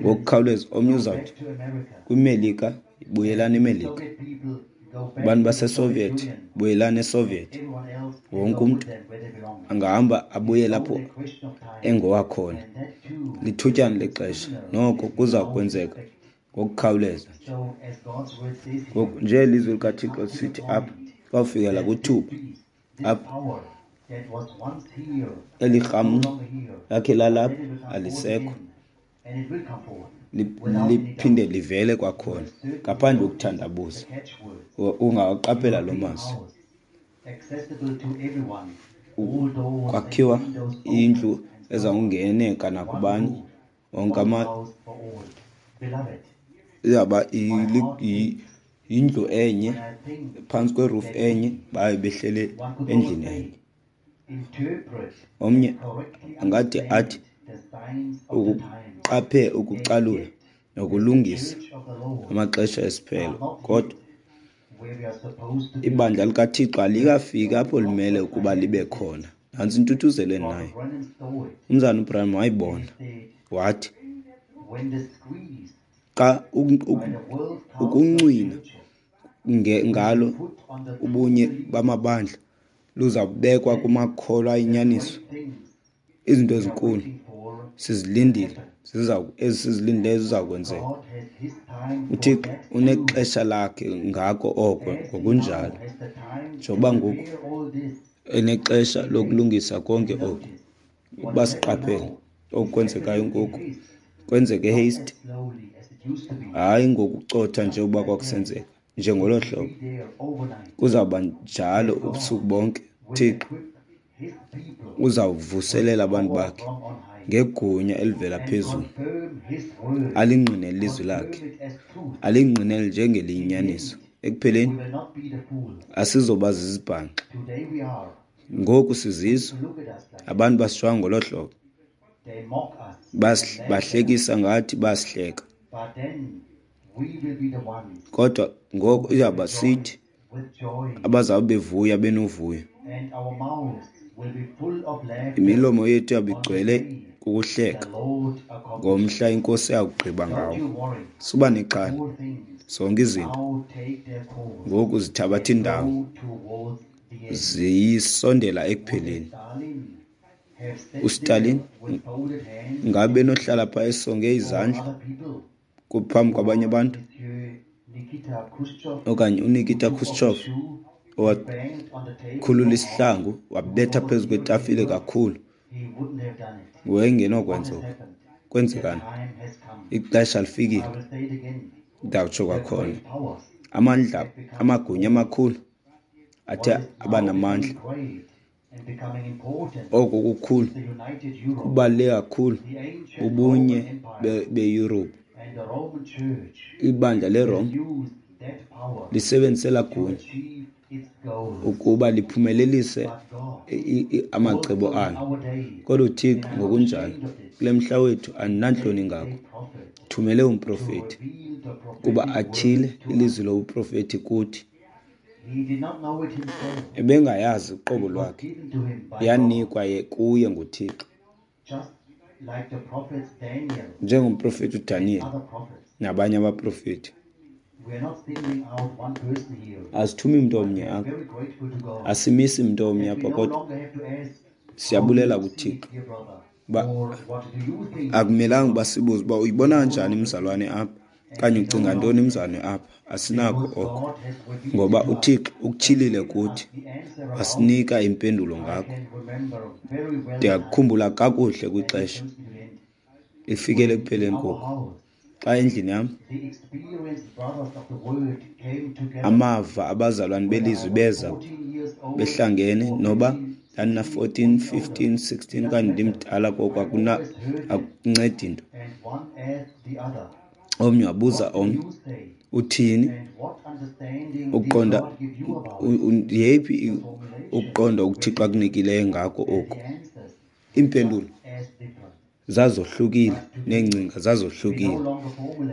Ngokukhawuleza omnye uzawuthi kwiMelika, buyelani eMelika. Abantu baseSoviet, buyelani eSoviet. Wonke umntu angahamba abuyele apho engowakhona. Lithutyana lexesha, noko kuza kwenzeka ngokukhawuleza nje. Ngoku nje ilizwi likaThixo lisithi apha, kwawufikela kwithuba apha eli rhamncwa lakhe lalapha alisekho, liphinde livele kwakhona ngaphandle kokuthandabuza. Ungawaqaphela loo mazwi. Kwakhiwa indlu ezawungeneka nakubani wonke ama izawuba yindlu enye phantsi kweroof enye, baye behlele endlini enye. Omnye angade athi ukuqaphe ukucalula nokulungisa amaxesha esiphelo, kodwa ibandla likaThixo alikafiki apho limele ukuba libe khona. Nantsi intuthuzelo endinayo. Umzana uBranham wayibona, wathi xa ukuncwina ngalo ubunye bamabandla luzawubekwa kumakholwa ayinyaniso. Izinto ezinkulu sizilindile, ziza esizilindileyo ziza kwenzeka. UThixo unexesha lakhe ngako oko ngokunjalo. Njengoba ngoku enexesha lokulungisa konke oku, ukuba siqaphele oku kwenzekayo ngoku, kwenzeke haste, hayi ngokucotha nje uba kwakusenzeka njengolo hlobo, kuzawuba njalo ubusuku bonke. Thixo uzawuvuselela abantu bakhe ngegunya elivela phezulu, alingqinele ilizwi lakhe, alingqinele njengeliyinyaniso. Ekupheleni asizoba zizibhanxa. Ngoku sizizo, abantu basijonga ngolo hlobo, bahlekisa ngathi, basihleka, kodwa ngoku iyawuba sithi abazawube bevuya benovuyo. Imilomo yethu iyawube igcwele kukuhleka ngomhla iNkosi eyakugqiba ngawo. Suba nexhala, zonke izinto ngoku zithabatha indawo, ziyisondela ekupheleni. UStalin ngabe benohlala phaa esonge izandla phambi kwabanye abantu, okanye uNikita Khrushchev owakhulula isihlangu wabetha phezu kwetafile kakhulu, wayengenokwenza oko. Kwenzekani? Ixesha lifikile. Ndawutsho kwakhona, amandla, amagunya amakhulu athe abanamandla, oko kukhulu kubaluleke kakhulu bubunye beYurophu. Ibandla leRome lisebenzise elaa gunya ukuba liphumelelise amacebo alo. Kodwa uThixo ngokunjalo kule mhla wethu, andinantloni ngako, thumele umprofethi kuba atyhile ilizwi lobuprofethi kuthi. Ebengayazi uqobo lwakhe, yanikwa kuye nguThixo, njengomprofethi uDaniyeli nabanye abaprofethi. Asithumi mntu omnye apha, asimisi mntu omnye apha, kodwa siyabulela kuThixo uba akumelanga uba sibuze uba uyibona kanjani mzalwane apha okanye ucinga ntoni mzalwane apha. Asinako oko, ngoba uThixo ukutyhilile kuthi, wasinika impendulo ngako. Ndiyakukhumbula kakuhle kwixesha ifikele ekupheleni koku, xa endlini yam amava abazalwane belizwi beza behlangene, noba ndandina fourteen, fifteen, sixteen okanye ndimdala koko, akuna akuncedi into. Omnye wabuza omnye, uthini ukuqonda, yeyiphi ukuqonda uThixo akunikileyo ngako oku? Iimpendulo zazohlukile neengcinga zazohlukile,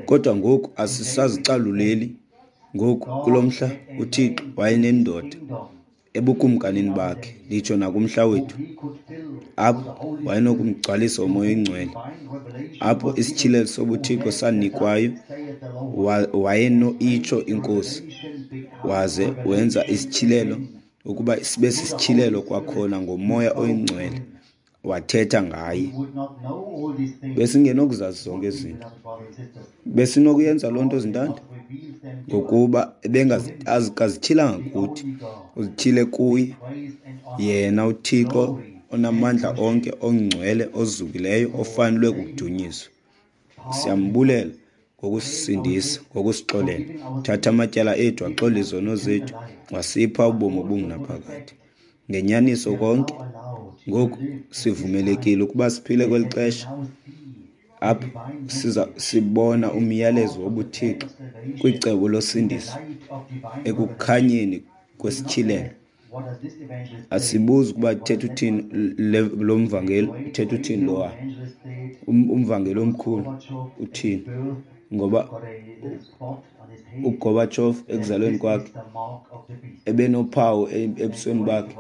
kodwa ngoku asisazicaluleli. Ngoku kulo mhla uThixo wayenendoda ebukumkanini bakhe, nditsho nakumhla wethu, apho wayenokumgcwalisa uMoya oyiNgcwele, apho isityhilelo sobuThixo sanikwayo, wayeno-itsho inkosi, waze wenza isityhilelo ukuba sibe sisityhilelo kwakhona ngoMoya oyiNgcwele, wathetha ngaye. Besingenokuzazi zonke izinto. Besinokuyenza loo nto, zintanda, ngokuba ebengazityhilanga kuthi, uzityhile kuye yena uThixo onamandla onke, ongcwele, ozukileyo, ofanelwe kukudunyiswa. Siyambulela ngokusisindisa, ngokusixolela, thatha amatyala ethu, waxola izono zethu, wasipha ubomi obungunaphakade. Ngenyaniso konke ngoku sivumelekile ukuba siphile kweli xesha apho siza sibona umyalezo wobuThixo kwicebo losindiso ekukhanyeni kwesityhilelo. Asibuzi ukuba uthetha uthini lo mvangeli, uthetha uthini lowa umvangeli omkhulu uthini, ngoba uGorbachev ekuzalweni kwakhe ebenophawu ebusweni bakhe,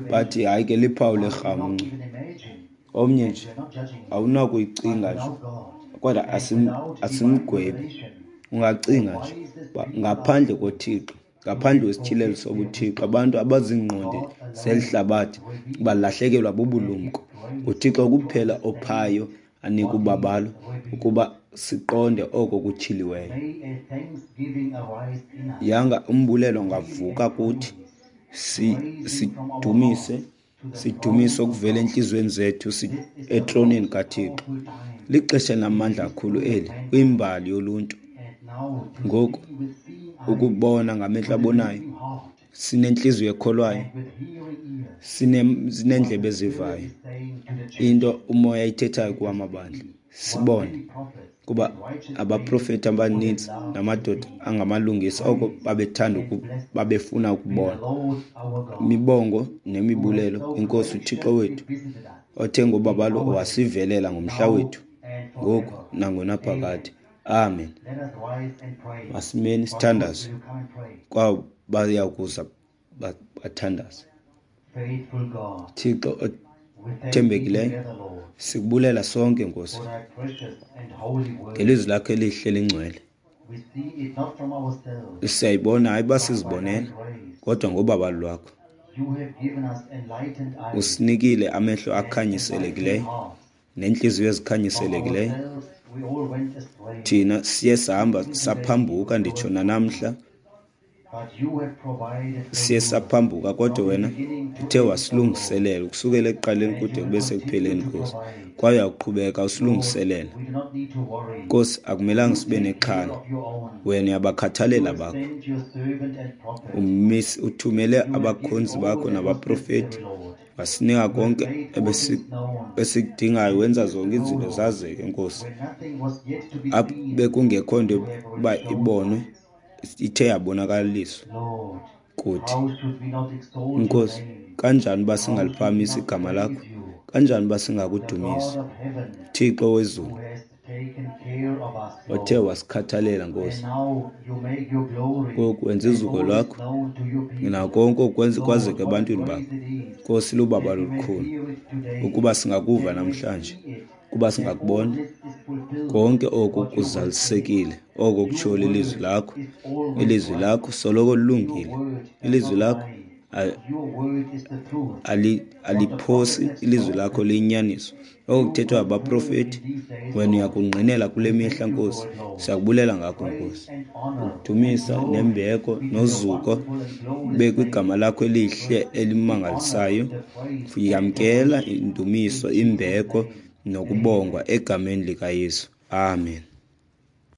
bathi hayi ke liphawu lerhamncwa. Omnye nje awunakuyicinga nje, kodwa asim asimgwebi. Ungacinga nje ngaphandle koThixo, ngaphandle kwesityhilelo sobuThixo, abantu abazingqondi zeli hlabathi balahlekelwa bubulumko. NguThixo kuphela ophayo anika ubabalo ukuba siqonde oko kutyhiliweyo. Yanga umbulelo ungavuka kuthi, sidumise sidumise okuvela entliziyweni zethu etroneni kaThixo. Lixesha elinamandla kakhulu eli kwimbali yoluntu. Ngoku ukubona ngamehlo abonayo, sinentliziyo ekholwayo, sineendlebe ezivayo into uMoya ayithethayo kuwamabandla, sibone kuba abaprofeti abanintsi namadoda angamalungisa oko babethanda babefuna ukubona. Imibongo nemibulelo kwiNkosi uThixo wethu, othe ngobabalo wasivelela ngomhla wethu, ngoku nangonaphakade. Amen. Masimeni sithandaze kwabo baya kuza bathandaze. Thixo othembekileyo, sikubulela sonke Nkosi ngelizwi lakho elihle lingcwele. Siyayibona hayi uba sizibonela, kodwa ngobabalo lwakho usinikile amehlo akhanyiselekileyo neentliziyo ezikhanyiselekileyo. Thina siye sahamba saphambuka, nditsho nanamhla siye saphambuka, kodwa wena uthe wasilungiselela ukusukela ekuqaleni kude kube sekupheleni, Nkosi, kwaye uyaqhubeka usilungiselela. Nkosi, akumelanga sibe nexhala, wena uyabakhathalela bakho. Umisi uthumele abakhonzi bakho nabaprofeti, wasinika konke esikudingayo, wenza zonke izinto zazeke, Nkosi. Apho bekungekho nto uba ibonwe, ithe yabonakaliswa kuthi. Nkosi, kanjani uba singaliphakamisi igama lakho? Kanjani uba singakudumisi? Thixo wezulu, othe wasikhathalela, Nkosi, ngoku wenza izuko lwakho nakonke okwenza kwazeke ebantwini bakho. Nkosi, lubabalo olukhulu ukuba singakuva namhlanje, ukuba singakubona konke oku kuzalisekile, oko kutshiwo lilizwi lakho. Ilizwi lakho soloko lilungile, ilizwi lakho aliphosi, ilizwi lakho liyinyaniso. Oko kuthethwa ngabaprofeti wena uyakungqinela kule mihla, Nkosi. Siyakubulela ngakho, Nkosi. Ukudumisa nembeko nozuko kube kwigama lakho elihle elimangalisayo. Yamkela indumiso, imbeko nokubongwa egameni likaYesu. Amen.